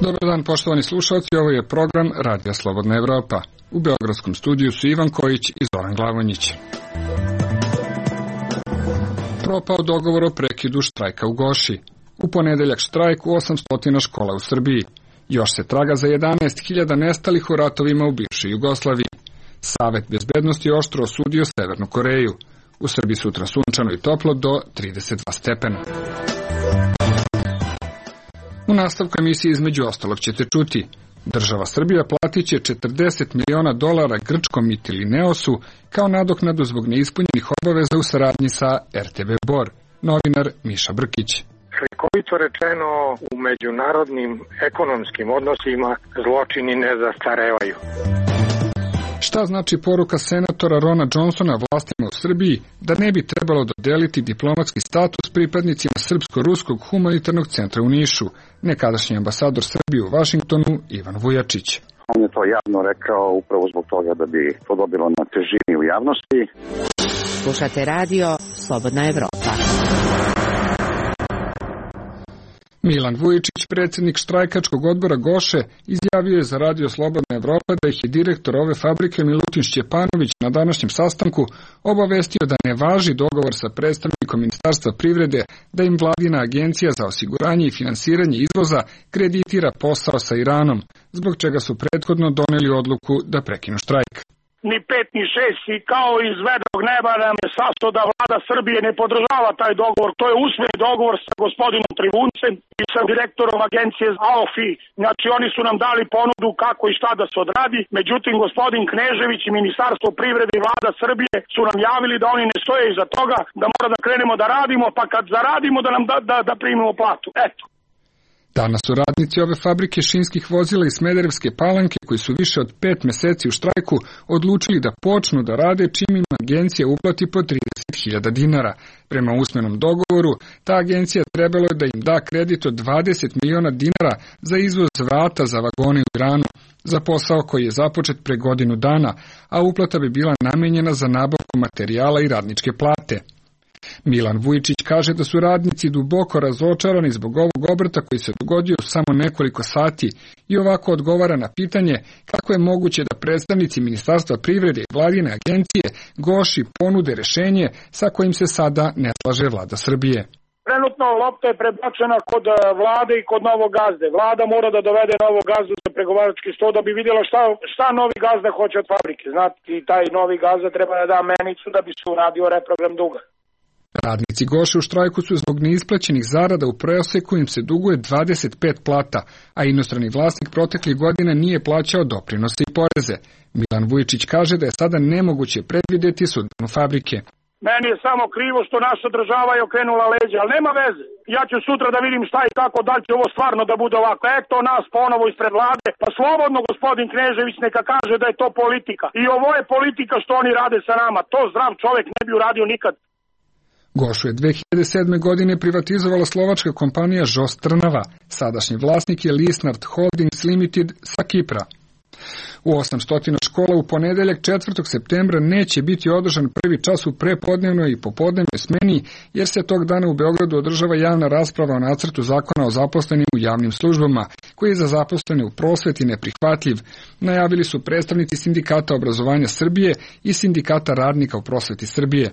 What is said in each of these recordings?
Dobar dan, poštovani slušalci, ovo je program Radija Slobodna Evropa. U beogradskom studiju su Ivan Kojić i Zoran Glavonjić. Propao dogovor o prekidu štrajka u Goši. U ponedeljak štrajk u 800 škola u Srbiji. Još se traga za 11.000 nestalih u ratovima u bivšoj Jugoslaviji. Savet bezbednosti oštro osudio Severnu Koreju. U Srbiji sutra sunčano i toplo do 32 stepena. U nastavku emisije između ostalog ćete čuti: država Srbija platit će $40 miliona grčkom Mytilineosu kao nadoknadu zbog neispunjenih obaveza u saradnji sa RTV Bor. Novinar Miša Brkić. Slikovito rečeno, u međunarodnim ekonomskim odnosima zločini ne zastarevaju. Šta znači poruka senatora Rona Johnsona vlastima u Srbiji da ne bi trebalo dodeliti diplomatski status pripadnicima Srpsko-ruskog humanitarnog centra u Nišu? Nekadašnji ambasador Srbije u Vašingtonu Ivan Vujačić. On je to javno rekao upravo zbog toga da bi to dobilo na težini u javnosti. Slušate radio Slobodna Evropa. Milan Vujičić, predsjednik štrajkačkog odbora Goše, izjavio je za radio Slobodna Evropa da ih je direktor ove fabrike Milutin Šćepanović na današnjem sastanku obavestio da ne važi dogovor sa predstavnikom Ministarstva privrede da im vladina agencija za osiguranje i finansiranje izvoza kreditira posao sa Iranom, zbog čega su prethodno doneli odluku da prekinu štrajk. Ni 5 ni 6 i kao iz vedrog neba nam je sasto da vlada Srbije ne podržava taj dogovor. To je usmeni dogovor sa gospodinom Trivuncem i sa direktorom agencije AOFI. Znači oni su nam dali ponudu kako i šta da se odradi. Međutim, gospodin Knežević i Ministarstvo privrede i vlada Srbije su nam javili da oni ne stoje iza toga, da mora da krenemo da radimo, pa kad zaradimo da nam da primimo platu. Eto. Danas su radnici ove fabrike šinskih vozila iz Smederevske Palanke, koji su više od 5 meseci u štrajku, odlučili da počnu da rade čim im agencija uplati po 30.000 dinara. Prema usmenom dogovoru, ta agencija trebalo je da im da kredit od 20 miliona dinara za izvoz vrata za vagone u Iranu, za posao koji je započet pre godinu dana, a uplata bi bila namenjena za nabavku materijala i radničke plate. Milan Vujičić kaže da su radnici duboko razočarani zbog ovog obrta koji se dogodio samo nekoliko sati i ovako odgovara na pitanje kako je moguće da predstavnici Ministarstva privrede i vladine agencije Goši ponude rešenje sa kojim se sada ne slaže vlada Srbije. Trenutno lopta je prebačena kod vlade i kod novog gazde. Vlada mora da dovede novog gazdu za pregovarački sto da bi vidjela šta novi gazda hoće od fabrike. Znate, i taj novi gazda treba da da menicu da bi se uradio reprogram duga. Radnici Goše u štrajku su zbog neisplaćenih zarada u proseku im se duguje 25 plata, a inostrani vlasnik proteklih godina nije plaćao doprinose i poreze. Milan Vujičić kaže da je sada nemoguće predvideti sudbinu fabrike. Meni je samo krivo što naša država je okrenula leđa, ali nema veze. Ja ću sutra da vidim šta i kako, da li će ovo stvarno da bude ovako. Eto nas ponovo ispred vlade, pa slobodno gospodin Knežević neka kaže da je to politika. I ovo je politika što oni rade sa nama. To zdrav čovjek ne bi uradio nikad. Gošu je 2007. godine privatizovala slovačka kompanija Žos Trnava. Sadašnji vlasnik je Lisnard Holdings Limited sa Kipra. U 800 škola u ponedeljak 4. septembra neće biti održan prvi čas u prepodnevnoj i popodnevnoj smeni, jer se tog dana u Beogradu održava javna rasprava o nacrtu zakona o zaposlenim u javnim službama, koji je za zaposlene u prosveti neprihvatljiv, najavili su predstavnici Sindikata obrazovanja Srbije i Sindikata radnika u prosveti Srbije.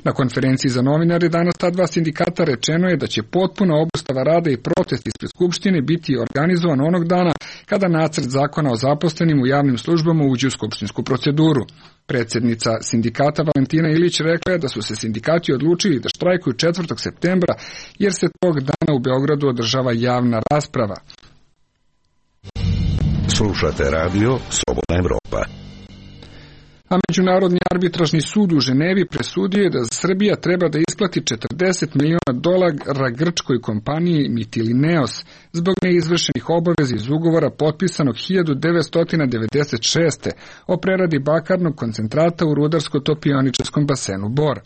Na konferenciji za novinare danas ta dva sindikata rečeno je da će potpuna obustava rada i protest ispred Skupštine biti organizovan onog dana kada nacrt zakona o zaposlenim u javnim službama uđe u skupštinsku proceduru. Predsjednica sindikata Valentina Ilić rekla je da su se sindikati odlučili da štrajkuju 4. septembra jer se tog dana u Beogradu održava javna rasprava. Slušate radio Slobodna Evropa. A Međunarodni arbitražni sud u Ženevi presudio je da Srbija treba da isplati $40 miliona grčkoj kompaniji Mytilineos zbog neizvršenih obaveza iz ugovora potpisanog 1996. o preradi bakarnog koncentrata u rudarsko-topioničarskom basenu Bor.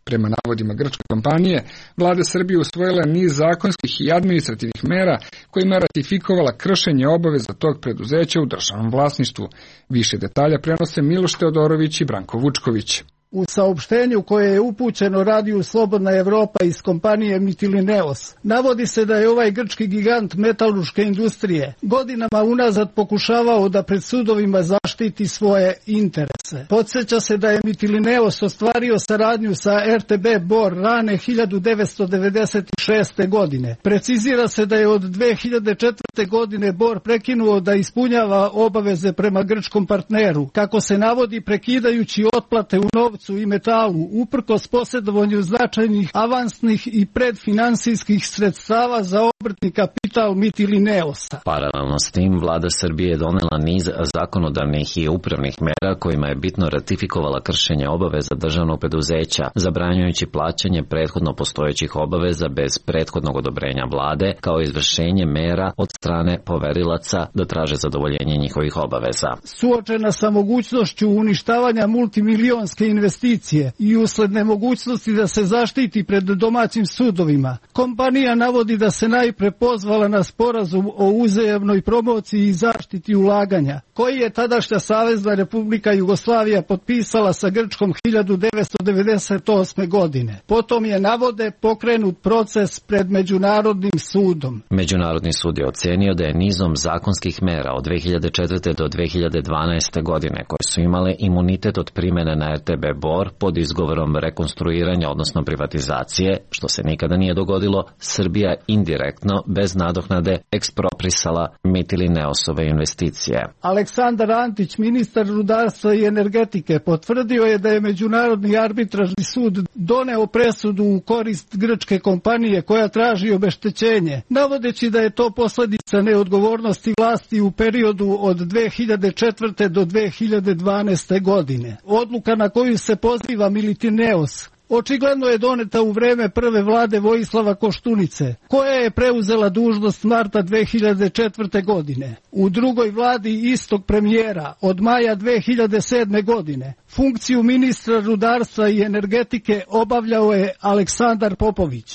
Prema navodima grčke kompanije, vlada Srbije usvojila niz zakonskih i administrativnih mera kojima ratifikovala kršenje obaveza tog preduzeća u državnom vlasništvu. Više detalja prenose Miloš Teodorović i Branko Vučković. U saopštenju koje je upućeno radiju Slobodna Evropa iz kompanije Mytilineos navodi se da je ovaj grčki gigant metalurške industrije godinama unazad pokušavao da pred sudovima zaštiti svoje interese. Podsjeća se da je Mytilineos ostvario saradnju sa RTB Bor rane 1996. godine. Precizira se da je od 2004. godine Bor prekinuo da ispunjava obaveze prema grčkom partneru, kako se navodi prekidajući otplate u novcu i metalu, uprkos posjedovanju značajnih avansnih i predfinansijskih sredstava za obrtni kapital Mytilineosa. Paralelno s tim, vlada Srbije je donela niz zakonodavnih i upravnih mera kojima je bitno ratifikovala kršenje obaveza državnog preduzeća, zabranjujući plaćanje prethodno postojećih obaveza bez prethodnog odobrenja vlade, kao izvršenje mera od strane poverilaca da traže zadovoljenje njihovih obaveza. Suočena sa mogućnošću uništavanja multimilionske investicije i usled nemogućnosti da se zaštiti pred domaćim sudovima, kompanija navodi da se najpre pozvala na sporazum o uzajamnoj promociji i zaštiti ulaganja, koji je tadašnja Savezna Republika Jugoslavija potpisala sa Grčkom 1998. godine. Potom je, navode, pokrenut proces pred Međunarodnim sudom. Međunarodni sud je ocenio da je nizom zakonskih mera od 2004. do 2012. godine, koje su imale imunitet od primjene na RTB Bor pod izgovorom rekonstruiranja, odnosno privatizacije, što se nikada nije dogodilo, Srbija indirektno, bez nadoknade, eksproprisala Mytilineosove investicije. Aleksandar Antić, ministar rudarstva i energetike, potvrdio je da je Međunarodni arbitražni sud doneo presudu u korist grčke kompanije koja traži obeštećenje, navodeći da je to posljedica neodgovornosti vlasti u periodu od 2004. do 2012. godine. Odluka na koju se poziva Mytilineos očigledno je doneta u vreme prve vlade Vojislava Koštunice, koja je preuzela dužnost marta 2004. godine. U drugoj vladi istog premijera od maja 2007. godine funkciju ministra rudarstva i energetike obavljao je Aleksandar Popović.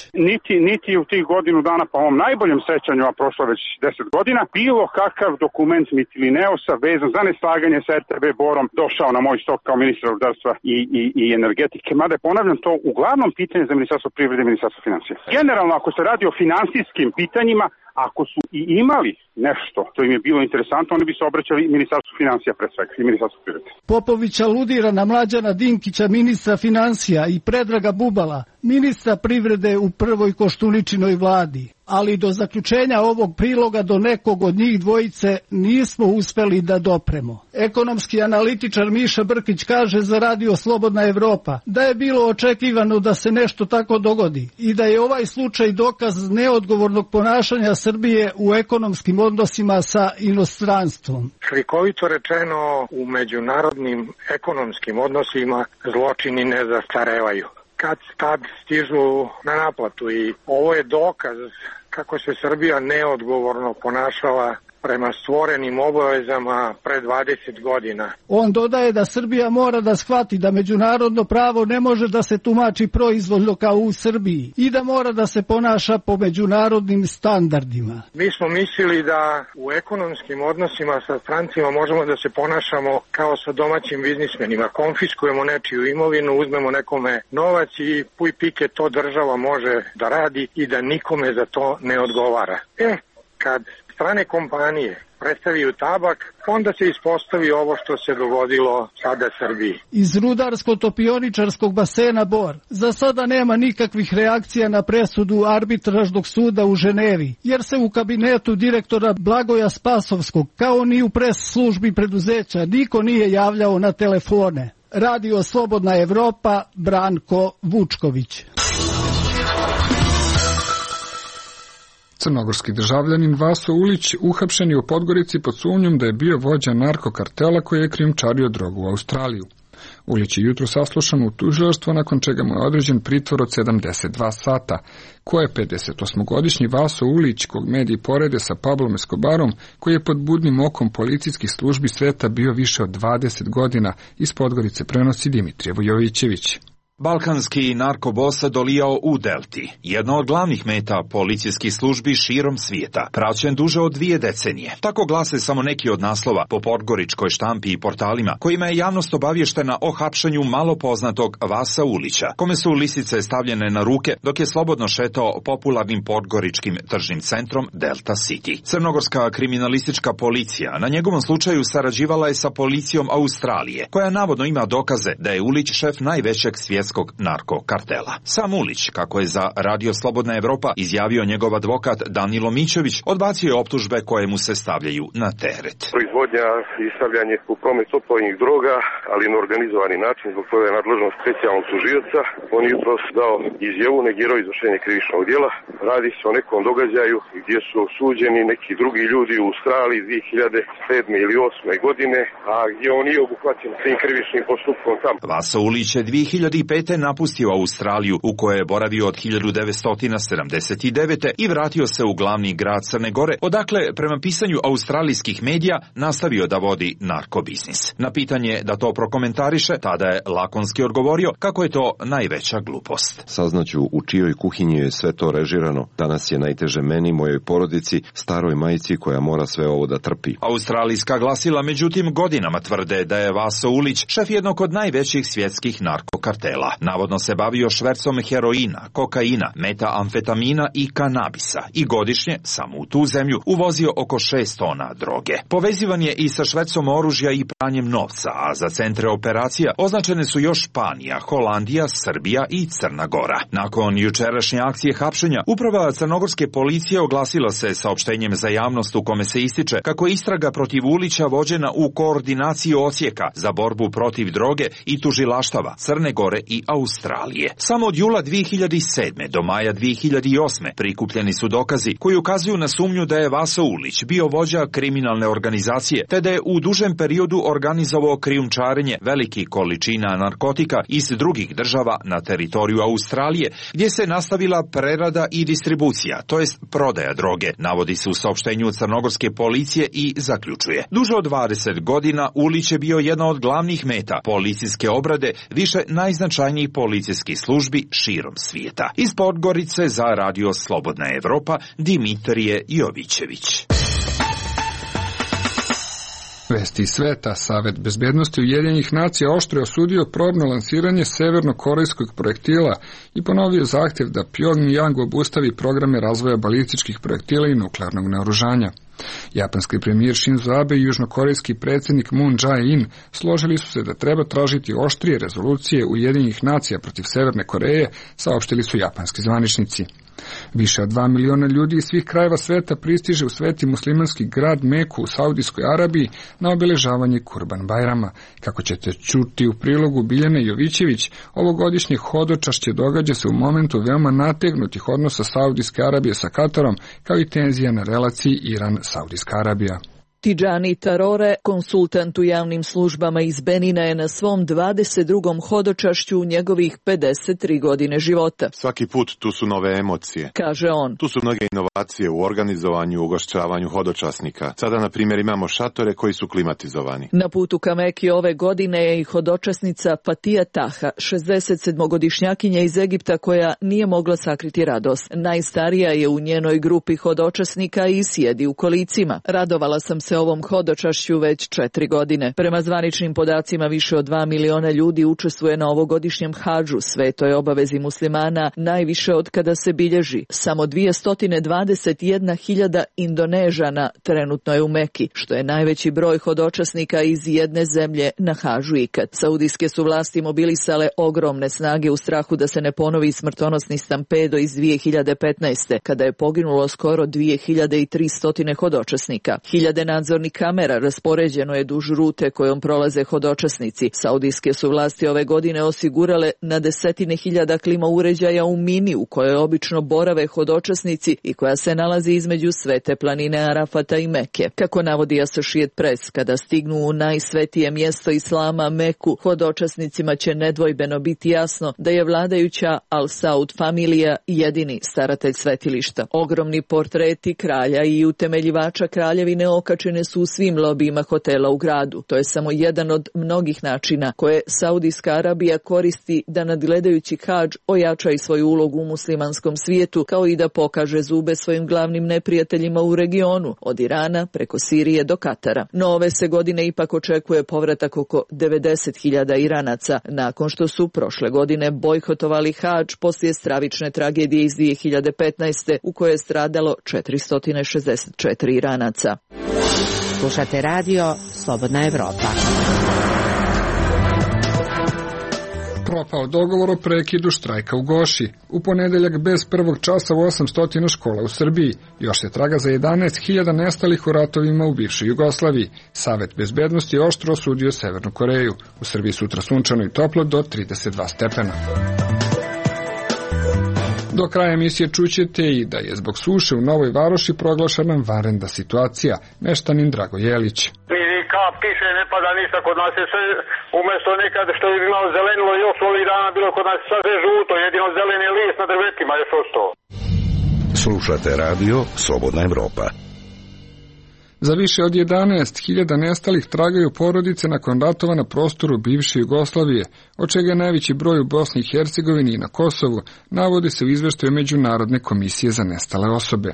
Niti u tih godinu dana, po ovom najboljem sećanju, a prošlo već 10 godina, bilo kakav dokument Mytilineosa vezan za neslaganje sa RTB Borom došao na moj stol kao ministra rudarstva i energetike. Mada je, ponavljam, to uglavnom pitanje za Ministarstvo privrede i Ministarstvo financija. Generalno, ako se radi o finansijskim pitanjima, ako su i imali nešto što im je bilo interesantno, oni bi se obraćali Ministarstvu financija pre svega i Ministarstvu privrede. Popović aludira na Mlađana Dinkića, ministra financija, i Predraga Bubala, ministra privrede u prvoj Koštuničinoj vladi. Ali do zaključenja ovog priloga do nekog od njih dvojice nismo uspeli da dopremo. Ekonomski analitičar Miša Brkić kaže za radio Slobodna Evropa da je bilo očekivano da se nešto tako dogodi i da je ovaj slučaj dokaz neodgovornog ponašanja Srbije u ekonomskim odnosima sa inostranstvom. Slikovito rečeno, u međunarodnim ekonomskim odnosima zločini ne zastarevaju. Kad tad stižu na naplatu, i ovo je dokaz kako se Srbija neodgovorno ponašala prema stvorenim obavezama pre 20 godina. On dodaje da Srbija mora da shvati da međunarodno pravo ne može da se tumači proizvoljno kao u Srbiji i da mora da se ponaša po međunarodnim standardima. Mi smo mislili da u ekonomskim odnosima sa strancima možemo da se ponašamo kao sa domaćim biznismenima. Konfiskujemo nečiju imovinu, uzmemo nekome novac i puj pike to država može da radi i da nikome za to ne odgovara. Kad strane kompanije predstavljaju tabak, onda se ispostavi ovo što se dogodilo sada Srbiji. Iz rudarsko-topioničarskog basena Bor za sada nema nikakvih reakcija na presudu arbitražnog suda u Ženevi, jer se u kabinetu direktora Blagoja Spasovskog, kao ni u pres službi preduzeća, niko nije javljao na telefone. Radio Slobodna Evropa, Branko Vučković. Crnogorski državljanin Vaso Ulić uhapšen je u Podgorici pod sumnjom da je bio vođa narkokartela koji je krijumčario drogu u Australiju. Ulić je jutro saslušan u tužilaštvo, nakon čega mu je određen pritvor od 72 sata, koje je 58-godišnji Vaso Ulić, kog mediji porede sa Pablom Escobarom, koji je pod budnim okom policijskih službi sveta bio više od 20 godina, iz Podgorice prenosi Dimitrije Vujovićević. Balkanski narkobos dolijao u Delti, jedna od glavnih meta policijskih službi širom svijeta, praćen duže od 2 decenije. Tako glase samo neki od naslova po podgoričkoj štampi i portalima, kojima je javnost obavještena o hapšenju malo poznatog Vasa Ulića, kome su lisice stavljene na ruke dok je slobodno šetao popularnim podgoričkim tržnim centrom Delta City. Crnogorska kriminalistička policija na njegovom slučaju sarađivala je sa policijom Australije, koja navodno ima dokaze da je Ulić šef najvećeg svjetskog narkokartela. Sam Ulić, kako je za Radio Slobodna Evropa izjavio njegov advokat Danilo Mićović, odbacio je optužbe koje mu se stavljaju na teret. Proizvodnja i stavljanje u promet opojnih droga, ali na organizovani način, zbog toga je nadležnost specijalnog tužioca. On je jutros dao izjavu, negirao izvršenje krivičnog djela. Radi se o nekom događaju gdje su osuđeni neki drugi ljudi u Australiji 2007. ili 2008. godine, a gdje on nije obuhvaćen tim krivičnim postupkom tamo. Vasa Ulić je 2005. napustio Australiju, u kojoj je boravio od 1979. i vratio se u glavni grad Crne Gore, odakle, prema pisanju australijskih medija, nastavio da vodi narkobiznis. Na pitanje da to prokomentariše, tada je lakonski odgovorio kako je to najveća glupost. Saznaću u čijoj kuhinji je sve to režirano. Danas je najteže meni, mojoj porodici, staroj majci koja mora sve ovo da trpi. Australijska glasila međutim godinama tvrde da je Vaso Ulić šef jednog od najvećih svjetskih narkokartela. Navodno se bavio švercom heroina, kokaina, metamfetamina i kanabisa i godišnje, samo u tu zemlju, uvozio oko 6 tona droge. Povezivan je i sa švercom oružja i pranjem novca, a za centre operacija označene su još Španija, Holandija, Srbija i Crna Gora. Nakon jučerašnje akcije hapšenja, uprava crnogorske policije oglasila se saopštenjem za javnost u kome se ističe kako je istraga protiv Ulića vođena u koordinaciji odsjeka za borbu protiv droge i tužilaštava Crne Gore i Australije. Samo od jula 2007. do maja 2008. prikupljeni su dokazi koji ukazuju na sumnju da je Vaso Ulić bio vođa kriminalne organizacije, te da je u dužem periodu organizovao krijumčarenje velikih količina narkotika iz drugih država na teritoriju Australije, gdje se nastavila prerada i distribucija, to jest prodaja droge, navodi se u saopštenju crnogorske policije i zaključuje. Duže od 20 godina Ulić je bio jedna od glavnih meta policijske obrade više najznačajnijih policijskih službi širom svijeta. Iz Podgorice za Radio Slobodna Evropa, Dimitrije Jovićević. Vesti iz sveta. Savet bezbednosti Ujedinjenih nacija oštro je osudio probno lansiranje severno-korejskog projektila i ponovio zahtjev da Pyongyang obustavi programe razvoja balističkih projektila i nuklearnog naoružanja. Japanski premijer Shinzo Abe i južnokorejski predsjednik Moon Jae-in složili su se da treba tražiti oštrije rezolucije Ujedinjenih nacija protiv Severne Koreje, saopštili su japanski zvaničnici. Više od 2 miliona ljudi iz svih krajeva sveta pristiže u sveti muslimanski grad Meku u Saudijskoj Arabiji na obeležavanje Kurban Bajrama. Kako ćete čuti u prilogu Biljane Jovićević, ovogodišnje hodočašće događa se u momentu veoma nategnutih odnosa Saudijske Arabije sa Katarom, kao i tenzija na relaciji Iran-Saudijska Arabija. Tidžani Tarore, konsultant u javnim službama iz Benina, je na svom 22. hodočašću u njegovih 53 godine života. Svaki put tu su nove emocije, kaže on. Tu su mnoge inovacije u organizovanju i ugošćavanju hodočasnika. Sada, na primjer, imamo šatore koji su klimatizovani. Na putu ka Meki ove godine je i hodočasnica Fatija Taha, 67-godišnjakinja iz Egipta koja nije mogla sakriti radost. Najstarija je u njenoj grupi hodočasnika i sjedi u kolicima. Radovala sam se ovom hodočašću već 4 godine. Prema zvaničnim podacima više od 2 miliona ljudi učestvuje na ovogodišnjem hadžu, svetoj obavezi muslimana, najviše od kada se bilježi. Samo 221.000 Indonežana trenutno je u Meki, što je najveći broj hodočasnika iz jedne zemlje na hadžu ikad. Saudijske su vlasti mobilisale ogromne snage u strahu da se ne ponovi smrtonosni stampedo iz 2015. kada je poginulo skoro 2300 hodočasnika. Hiljade nadzornih kamera raspoređeno je duž rute kojom prolaze hodočasnici. Saudijske su vlasti ove godine osigurale na 10.000 klima uređaja u Mini, u kojoj obično borave hodočasnici i koja se nalazi između Svete planine Arafata i Meke. Kako navodi Associated Press, kada stignu u najsvetije mjesto Islama, Meku, hodočasnicima će nedvojbeno biti jasno da je vladajuća Al Saud familija jedini staratelj svetilišta. Ogromni portreti kralja i utemeljivača kraljevine okačili ograničene su u svim lobijima hotela u gradu. To je samo jedan od mnogih načina koje Saudijska Arabija koristi da nadgledajući hadž ojača i svoju ulogu u muslimanskom svijetu, kao i da pokaže zube svojim glavnim neprijateljima u regionu, od Irana preko Sirije do Katara. No ove se godine ipak očekuje povratak oko 90.000 Iranaca, nakon što su prošle godine bojkotovali hadž poslije stravične tragedije iz 2015. u kojoj je stradalo 464 Iranaca. Slušate radio Slobodna Evropa. Propao dogovor o prekidu štrajka u Goši. U ponedeljak bez prvog časa u 800 škola u Srbiji. Još se traga za 11.000 nestalih u ratovima u bivšoj Jugoslaviji. Savet bezbednosti je oštro osudio Severnu Koreju. U Srbiji sutra sunčano i toplo do 32 stepena. Do kraja emisije čućete i da je zbog suše u Novoj Varoši proglašena vanredna situacija. Meštanin Drago Jelić. Kap kiše ne pada ništa, kod nas je sve umjesto nekad što je imalo zelenilo još ovih dana bilo kod nas sve žuto, jedino zeleni list na drvetima još ostao. Slušate radio Slobodna Evropa. Za više od 11.000 nestalih tragaju porodice nakon ratova na prostoru bivše Jugoslavije, od čega je najveći broj u Bosni i Hercegovini i na Kosovu, navodi se u izveštaju Međunarodne komisije za nestale osobe.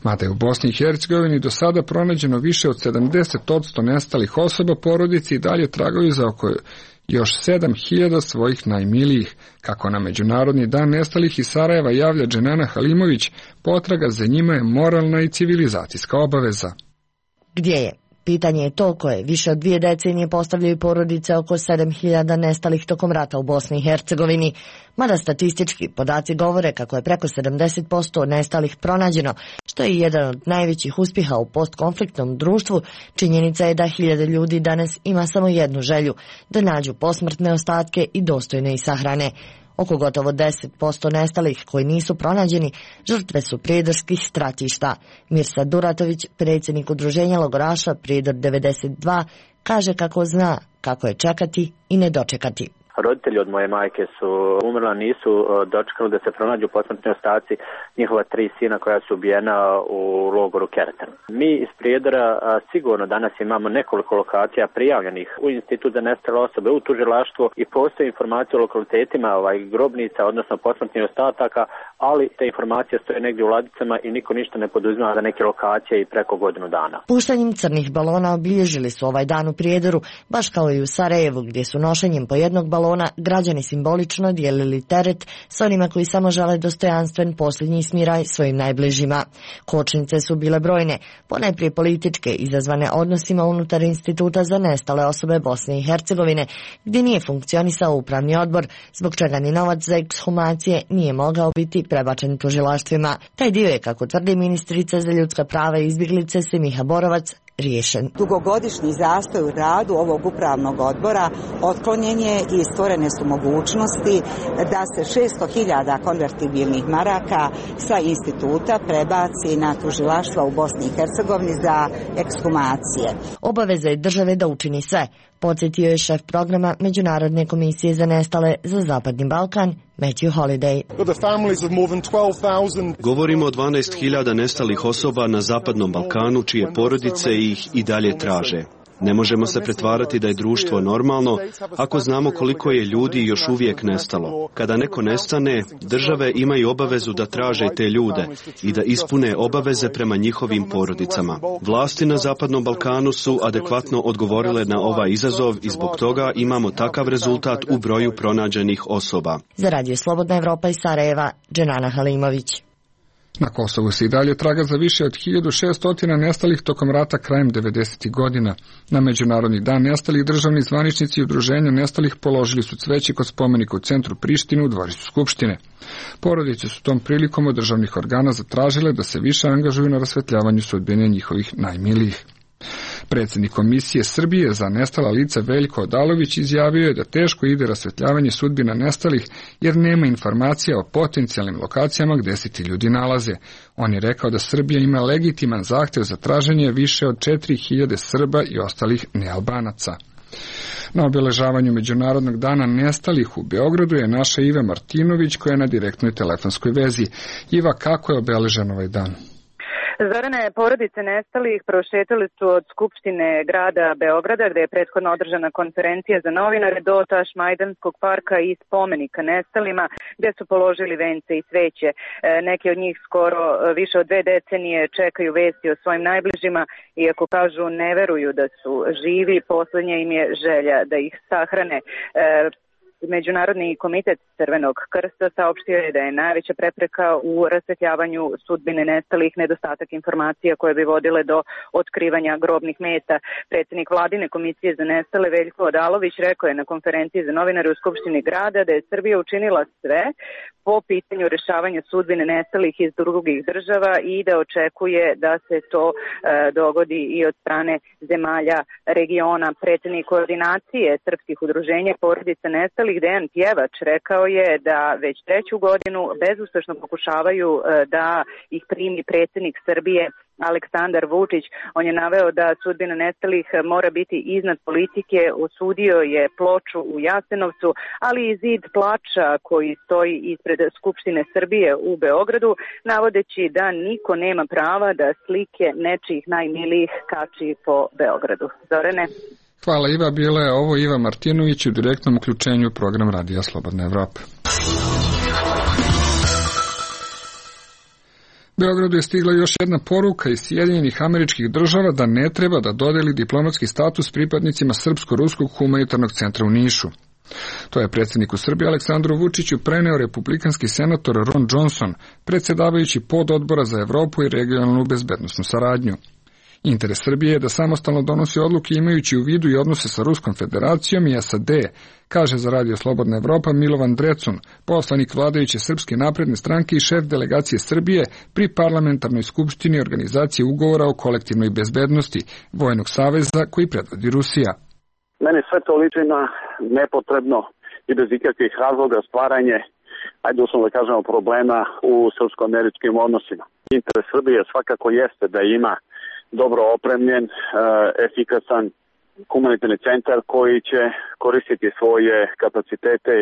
Mada je u Bosni i Hercegovini do sada pronađeno više od 70% nestalih osoba, porodice i dalje tragaju za oko još 7.000 svojih najmilijih. Kako na Međunarodni dan nestalih iz Sarajeva javlja Dženana Halimović, potraga za njima je moralna i civilizacijska obaveza. Gdje je? Pitanje je to koje više od 2 decenije postavljaju porodice oko 7.000 nestalih tokom rata u Bosni i Hercegovini. Mada statistički podaci govore kako je preko 70% nestalih pronađeno, što je jedan od najvećih uspjeha u postkonfliktnom društvu, činjenica je da 1000 ljudi danas ima samo jednu želju, da nađu posmrtne ostatke i dostojno ih sahrane. Oko gotovo 10% nestalih koji nisu pronađeni žrtve su prijedorskih stratišta. Mirsad Duratović, predsjednik udruženja logoraša Prijedor 92, kaže kako zna kako je čekati i ne dočekati. Roditelji od moje majke su umrla, nisu dočekali da se pronađu posmrtni ostaci njihova 3 sina koja su ubijena u logoru Keretan. Mi iz Prijedora sigurno danas imamo nekoliko lokacija prijavljenih u Institut za nestale osobe, u tužilaštvo i postoje informacije o lokalitetima grobnica, odnosno posmrtnih ostataka, ali te informacije stoje negdje u ladicama i niko ništa ne poduzima za neke lokacije i preko godinu dana. Puštanjem crnih balona obilježili su ovaj dan u Prijedoru, baš kao i u Sarajevu, gdje su nošenjem po jednog balona građani simbolično dijelili teret s onima koji samo žele dostojanstven posljednji smiraj svojim najbližima. Kočnice su bile brojne, ponajprije političke, izazvane odnosima unutar Instituta za nestale osobe Bosne i Hercegovine, gdje nije funkcionisao upravni odbor, zbog čega ni novac za ekshumacije nije mogao biti prebačen tužilaštvima. Taj dio je, kako tvrdi ministrica za ljudska prava i izbjeglice Semiha Borovac, riješen. Dugogodišnji zastoj u radu ovog upravnog odbora otklonjen je i stvorene su mogućnosti da se 600.000 konvertibilnih maraka sa instituta prebaci na tužilaštva u Bosni i Hercegovini za ekshumacije. Obaveza je države da učini sve, podsjetio je šef programa Međunarodne komisije za nestale za Zapadni Balkan, Matthew Holiday. Govorimo o 12.000 nestalih osoba na Zapadnom Balkanu, čije porodice ih i dalje traže. Ne možemo se pretvarati da je društvo normalno ako znamo koliko je ljudi još uvijek nestalo. Kada neko nestane, države imaju obavezu da traže te ljude i da ispune obaveze prema njihovim porodicama. Vlasti na Zapadnom Balkanu su adekvatno odgovorile na ovaj izazov i zbog toga imamo takav rezultat u broju pronađenih osoba. Za Radio Slobodna Evropa iz Sarajeva, Dženana Halimović. Na Kosovu se i dalje traga za više od 1600 nestalih tokom rata krajem 90. godina. Na Međunarodni dan nestalih državni zvaničnici i udruženja nestalih položili su cveće kod spomenika u centru Prištine u dvorištu Skupštine. Porodice su tom prilikom od državnih organa zatražile da se više angažuju na rasvetljavanju sudbine njihovih najmilijih. Predsjednik Komisije Srbije za nestala lica Veljko Odalović izjavio je da teško ide rasvetljavanje sudbina nestalih jer nema informacija o potencijalnim lokacijama gdje se ti ljudi nalaze. On je rekao da Srbija ima legitiman zahtjev za traženje više od 4.000 Srba i ostalih nealbanaca. Na obeležavanju Međunarodnog dana nestalih u Beogradu je naša Iva Martinović koja je na direktnoj telefonskoj vezi. Iva, kako je obeležen ovaj dan? Zorane, porodice nestalih prošetali su od Skupštine grada Beograda, gde je prethodno održana konferencija za novinare, do Tašmajdanskog parka i spomenika nestalima, gde su položili vence i sveće. Neki od njih skoro više od 2 decenije čekaju vesti o svojim najbližima, iako kažu ne veruju da su živi, poslednja im je želja da ih sahrane. Međunarodni komitet Crvenog krsta saopštio je da je najveća prepreka u rasvetljavanju sudbine nestalih nedostatak informacija koje bi vodile do otkrivanja grobnih mesta. Predsjednik vladine komisije za nestale Veljko Odalović rekao je na konferenciji za novinare u Skupštini grada da je Srbija učinila sve po pitanju rešavanja sudbine nestalih iz drugih država i da očekuje da se to dogodi i od strane zemalja regiona. Predsjednik koordinacije srpskih udruženja porodica nestalih Dejan Pjevač rekao je da već 3. godinu bezuspešno pokušavaju da ih primi predsjednik Srbije Aleksandar Vučić. On je naveo da sudbina nestalih mora biti iznad politike, osudio je ploču u Jasenovcu, ali i zid plača koji stoji ispred Skupštine Srbije u Beogradu, navodeći da niko nema prava da slike nečijih najmilijih kači po Beogradu. Zorane? Hvala Iva, bila je ovo Iva Martinović u direktnom uključenju program Radija Slobodna Evropa. Beogradu je stigla još jedna poruka iz Sjedinjenih Američkih Država da ne treba da dodeli diplomatski status pripadnicima Srpsko-ruskog humanitarnog centra u Nišu. To je predsjedniku Srbije Aleksandru Vučiću preneo republikanski senator Ron Johnson, predsjedavajući pododbora za Evropu i regionalnu bezbednosnu saradnju. Interes Srbije je da samostalno donosi odluke imajući u vidu i odnose sa Ruskom federacijom i SAD, kaže za Radio Slobodna Evropa Milovan Drecun, poslanik vladajuće Srpske napredne stranke i šef delegacije Srbije pri parlamentarnoj skupštini organizacije ugovora o kolektivnoj bezbednosti Vojnog saveza koji predvodi Rusija. Meni sve to liči na nepotrebno i bez ikakvih razloga stvaranje, ajde uslovno da kažemo, problema u srpsko-američkim odnosima. Interes Srbije svakako jeste da ima dobro opremljen, efikasan humanitarni centar koji će koristiti svoje kapacitete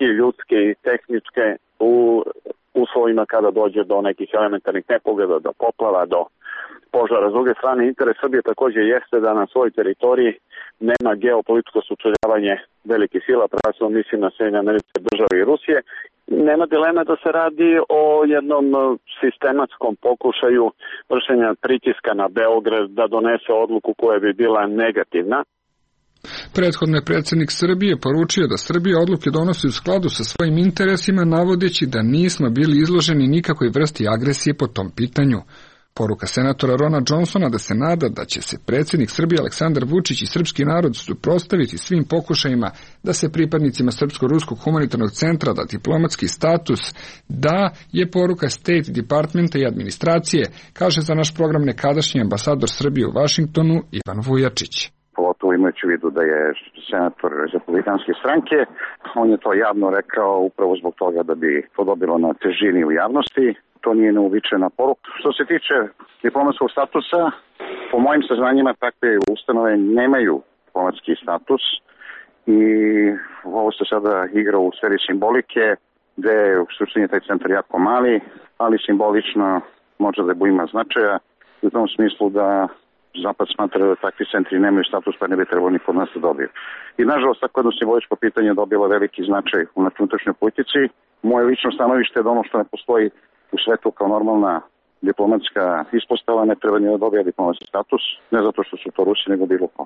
i ljudske i tehničke u uslovima kada dođe do nekih elementarnih nepogoda, do poplava, do požara. S druge strane, interes Srbije također jeste da na svojoj teritoriji nema geopolitičko sučeljavanje velikih sila, prvenstveno mislim na Sjedinjene Američke Države i Rusije. Nema dileme da se radi o jednom sistematskom pokušaju vršenja pritiska na Beograd da donese odluku koja bi bila negativna. Prethodno je predsjednik Srbije poručio da Srbija odluke donosi u skladu sa svojim interesima, navodeći da nismo bili izloženi nikakvoj vrsti agresije po tom pitanju. Poruka senatora Rona Johnsona da se nada da će se predsjednik Srbije Aleksandar Vučić i srpski narod suprotstaviti svim pokušajima da se pripadnicima Srpsko-ruskog humanitarnog centra da diplomatski status da je poruka State Departmenta i administracije, kaže za naš program nekadašnji ambasador Srbije u Vašingtonu Ivan Vujačić. Pogotovo imajući u vidu da je senator republikanske stranke, on je to javno rekao upravo zbog toga da bi to dobilo na težini u javnosti. To nije neuobičajena poruka. Što se tiče diplomatskog statusa, po mojim saznanjima takve ustanove nemaju diplomatski status i ovo se sada igra u sferi simbolike, gde je u suštini taj centar jako mali, ali simbolično može da ima značaja u tom smislu da Zapad smatra da takvi centri nemaju status, pa ne bi trebalo niko od nas da dobiju. I nažalost, tako jedno simboličko pitanje je dobilo veliki značaj u unutrašnjoj politici. Moje lično stanovište je da ono što ne postoji u svetu kao normalna diplomatska ispostava ne treba ni da dobija diplomatski status, ne zato što su to Rusi, nego bilo ko.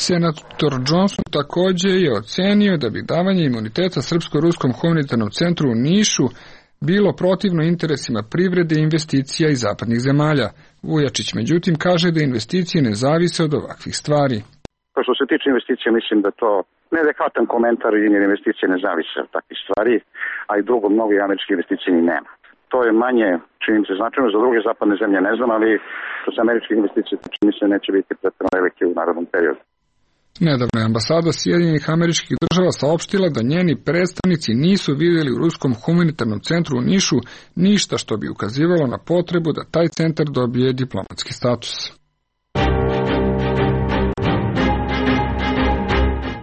Senator Johnson također je ocenio da bi davanje imuniteta Srpsko-ruskom humanitarnom centru u Nišu bilo protivno interesima privrede i investicija iz zapadnih zemalja. Vujačić međutim kaže da investicije ne zavise od ovakvih stvari. Što se tiče investicija, mislim da to neadekvatan komentar i investicije ne zavise od takvih stvari, a i drugo, mnogo američkih investicija ni nema. To je manje, čini mi se, značajno, za druge zapadne zemlje ne znam, ali što se američkih investicija, čini mi se, neće biti pretjerano velike u narodnom periodu. Nedavno je ambasada Sjedinjenih Američkih Država saopštila da njeni predstavnici nisu vidjeli u Ruskom humanitarnom centru u Nišu ništa što bi ukazivalo na potrebu da taj centar dobije diplomatski status.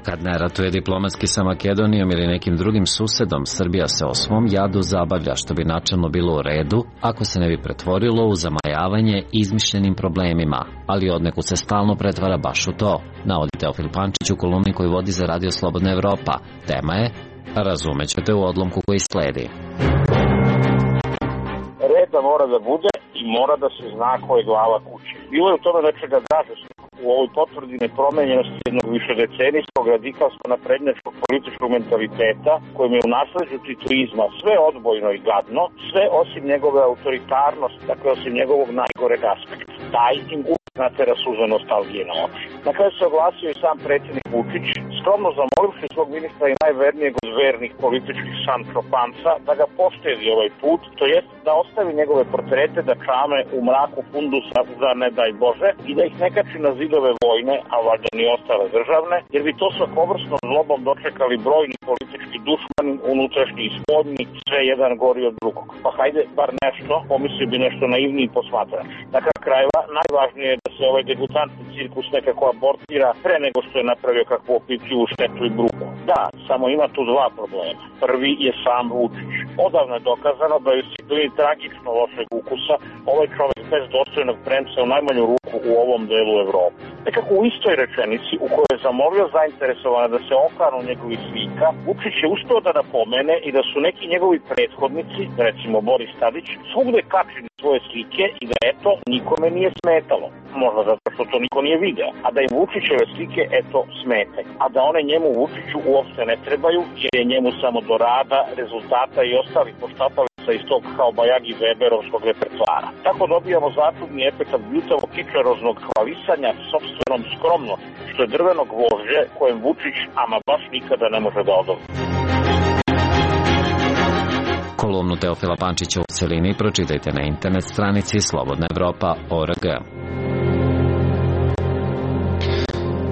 Kad ne ratuje diplomatski sa Makedonijom ili nekim drugim susedom, Srbija se o svom jadu zabavlja, što bi načelno bilo u redu ako se ne bi pretvorilo u zamajavanje izmišljenim problemima, ali odnekud se stalno pretvara baš u to, navodi Teofil Pančić u kolumni koju vodi za Radio Slobodna Evropa. Tema je, razumećete u odlomku koji sledi. Reda mora da bude i mora da se zna ko je glava kuće. Bilo je u tome nečega dražesnog. U ovoj potvrdi nepromenjenosti jednog višedecenijskog radikalsko-naprednjačkog političkog mentaliteta, kojim je u nasleđu titoizma sve odbojno i gadno, sve osim njegove autoritarnosti, dakle osim njegovog najgoreg aspekta. Taj im natera suza nostalgije na oči. Na kraju se oglasio i sam predsjednik Vučić, skromno zamolivši svog ministra i najvernijeg od vernih političkih Sančo Panca da ga poštedi ovaj put, to jest da ostavi njegove portrete da čame u mraku fundusa za ne daj Bože i da ih ne kači na zidove vojne, a valjda ni ostale državne, jer bi to svakovrsnom zlobom dočekali brojni politički dušmani, unutrašnji i spoljni, sve jedan gori od drugog. Pa hajde, bar nešto, pomislio bi nešto naivniji posmatrač. Na kraju krajeva, najvažnije je da se ovaj degutantni cirkus nekako abortira pre nego što je napravio kakvu opipljivu štetu i bruku. Da, samo ima tu dva problema. Prvi je sam Vučić. Odavno je dokazano da je u disciplini tragično lošeg ukusa ovaj čovjek bez dostojnog premca u najmanju ruku u ovom delu Evrope. Nekako u istoj rečenici u kojoj je zamolio zainteresovane da se okanu njegovih slika, Vučić je uspeo da napomene i da su neki njegovi prethodnici, recimo Boris Tadić, svugde kačili svoje slike i da eto nikome nije smetalo. Možda zato što to niko nije video. A da im Vučićeve slike eto smete. A da one njemu Vučiću uopšte ne trebaju jer je njemu samo do rada, rezultata i ostalih poštapalica iz tog kao bajagi Weberovskog repertoara. Tako dobijamo začudni efekat bljutavo kičaroznog hvalisanja sopstvenom skromno, što je drveno gvožđe kojem Vučić ama baš nikada ne može da odobri. Kolumnu Teofila Pančića u celini pročitajte na internet stranici slobodnaevropa.org.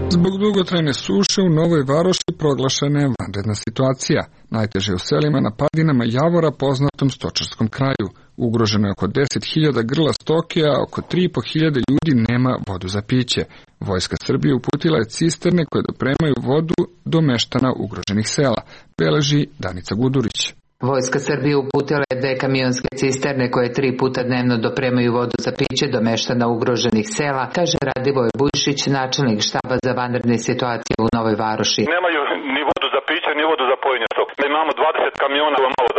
Zbog dugotrajne suše u Novoj Varoši proglašena je vanredna situacija. Najteže u selima na padinama Javora, poznatom stočarskom kraju. Ugroženo je oko 10.000 grla stoke, a oko 3.500 ljudi nema vodu za piće. Vojska Srbije uputila je cisterne koje dopremaju vodu do meštana ugroženih sela, beleži Danica Gudurić. Vojska Srbije uputila je 2 kamionske cisterne koje 3 puta dnevno dopremaju vodu za piće do meštana ugroženih sela, kaže Radivoj Bujšić, načelnik štaba za vanredne situacije u Novoj Varoši. Nemaju ni vodu za piće, ni vodu za pojenje stoke. Mi imamo 20 kamiona malo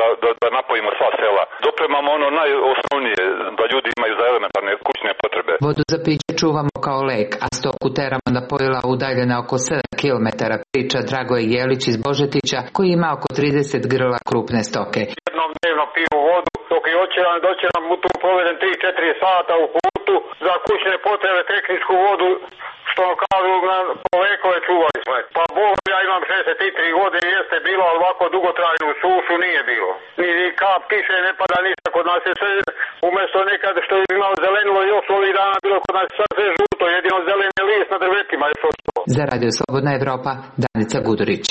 da napojimo sva sela. Dopremamo ono najosnovnije, da ljudi imaju za elementarne kućne potrebe. Vodu za piće čuvamo kao lek, a stoku teramo na pojila udaljena oko 7 km, priča Dragoje Jelić iz Božetića, koji ima oko 30 grla krupne stoke. Jednom dnevno piju vodu, dok je doće nam u tu povedem 3-4 sata u putu za kućne potrebe, tehničku vodu, što kažu po vekove čuvali smo. Pa Bog, ja imam 63 godine, jeste bilo, ali ovako dugotrajnu sušu nije bilo. Ni kap kiše ne pada ništa, kod nas je sve, umjesto nekad što je imalo zelenilo još ovih dana, bilo kod nas sad sve žuto, jedino zeleni list na drvetima još ostalo. Za Radio Slobodna Evropa, Danica Gudurić.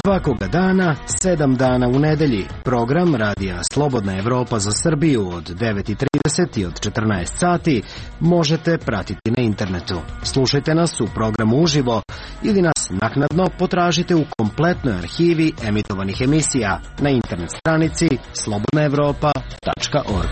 Svakoga dana, 7 dana u nedelji, program Radija Slobodna Evropa za Srbiju od 9:30 i od 14 sati možete pratiti na internetu. Slušajte nas u programu uživo ili nas naknadno potražite u kompletnoj arhivi emitovanih emisija na internet stranici slobodnaevropa.org.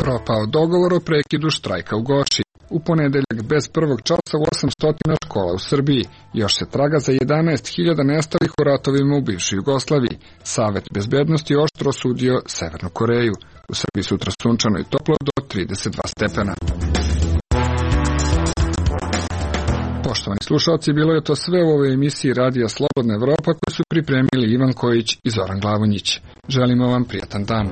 Propao dogovor o prekidu štrajka u Goši. U ponedeljak bez prvog časa u 800 škola u Srbiji. Još se traga za 11.000 nestalih u ratovima u bivšoj Jugoslaviji. Savet bezbednosti oštro osudio Severnu Koreju. U Srbiji sutra sunčano i toplo do 32 stepena. Poštovani slušalci, bilo je to sve u ovoj emisiji Radija Slobodna Evropa koju su pripremili Ivan Kojić i Zoran Glavonjić. Želimo vam prijatan dan.